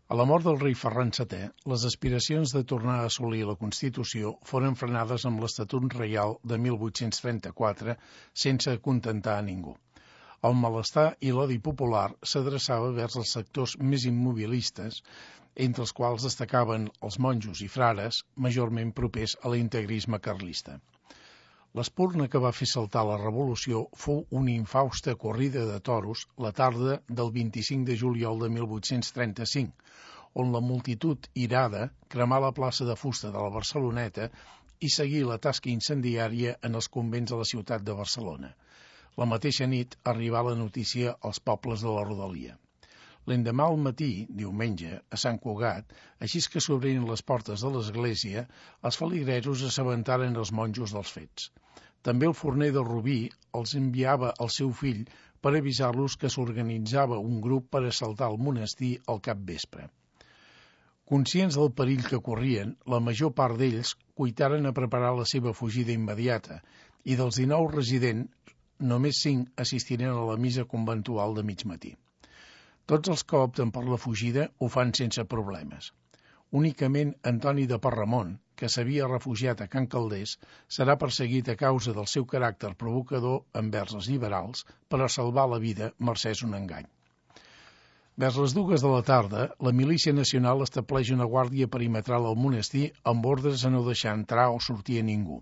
A la mort del rei Ferran VII, les aspiracions de tornar a assolir la Constitució foren frenades amb l'Estatut Reial de 1834 sense acontentar a ningú. El malestar i l'odi popular s'adreçava vers els sectors més immobilistes, entre els quals destacaven els monjos i frares, majorment propers a l'integrisme carlista. L'espurna que va fer saltar la revolució fou una infausta corrida de toros la tarda del 25 de juliol de 1835, on la multitud irada cremà la plaça de fusta de la Barceloneta i seguí la tasca incendiària en els convents de la ciutat de Barcelona. La mateixa nit arribà la notícia als pobles de la rodalia. L'endemà al matí, diumenge, a Sant Cugat, així que s'obrien les portes de l'església, els feligresos assabentaren els monjos dels fets. També el forner de Rubí els enviava al seu fill per avisar-los que s'organitzava un grup per assaltar el monestir al capvespre. Conscients del perill que corrien, la major part d'ells cuitaren a preparar la seva fugida immediata i dels 19 residents, només 5 assistiren a la missa conventual de mig matí. Tots els que opten per la fugida ho fan sense problemes. Únicament Antoni de Parramon, que s'havia refugiat a Can Calders, serà perseguit a causa del seu caràcter provocador envers els liberals per a salvar la vida mercès un engany. Vers les 2 de la tarda, la Milícia Nacional estableix una guàrdia perimetral al monestir amb ordres a no deixar entrar o sortir a ningú.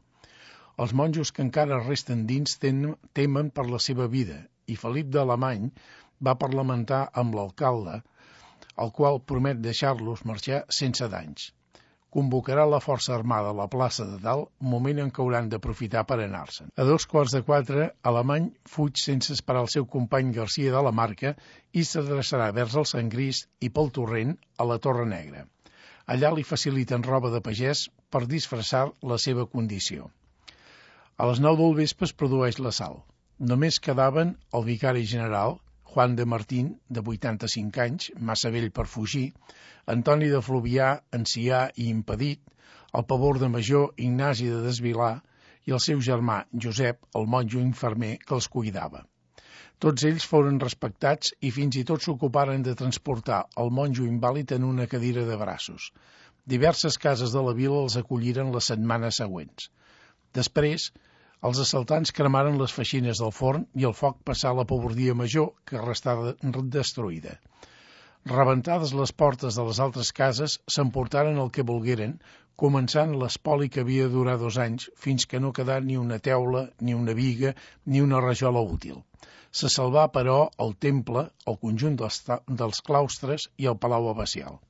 Els monjos que encara resten dins temen per la seva vida i Felip d'Alemany va parlamentar amb l'alcalde, el qual promet deixar-los marxar sense danys. Convocarà la força armada a la plaça de Dalt, moment en què hauran d'aprofitar per anar-se'n. A 3:15, Alemany fuig sense esperar el seu company Garcia de la Marca i s'adreçarà vers el Sangrís i pel Torrent a la Torre Negra. Allà li faciliten roba de pagès per disfressar la seva condició. A les 9 del vespre es produeix l'assalt. Només quedaven el vicari general, Juan de Martín, de 85 anys, massa vell per fugir, Antoni de Fluvià, ancià i impedit, el pavor de Major, Ignasi de Desvilar, i el seu germà, Josep, el monjo infermer que els cuidava. Tots ells foren respectats i fins i tot s'ocuparen de transportar el monjo invàlid en una cadira de braços. Diverses cases de la vila els acolliren les setmanes següents. Després, els assaltants cremaren les feixines del forn i el foc passà a la pavordia major, que restà destruïda. Rebentades les portes de les altres cases, s'emportaren el que volgueren, començant l'espoli que havia de durar 2 anys, fins que no quedà ni una teula, ni una biga, ni una rajola útil. Se salvà, però, el temple, el conjunt dels claustres i el palau abacial.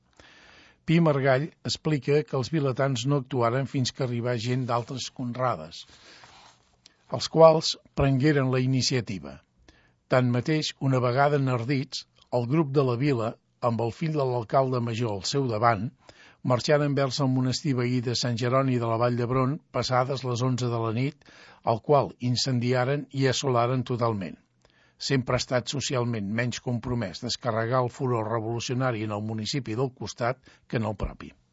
Pi Margall explica que els vilatans no actuaren fins que arribà gent d'altres conrades, els quals prengueren la iniciativa. Tanmateix, una vegada enardits, el grup de la vila, amb el fill de l'alcalde major al seu davant, marxaren vers el monestir veí de Sant Jeroni de la Vall d'Hebron passades les 11 de la nit, el qual incendiaren i assolaren totalment. Sempre ha estat socialment menys compromès descarregar el furor revolucionari en el municipi del costat que en el propi.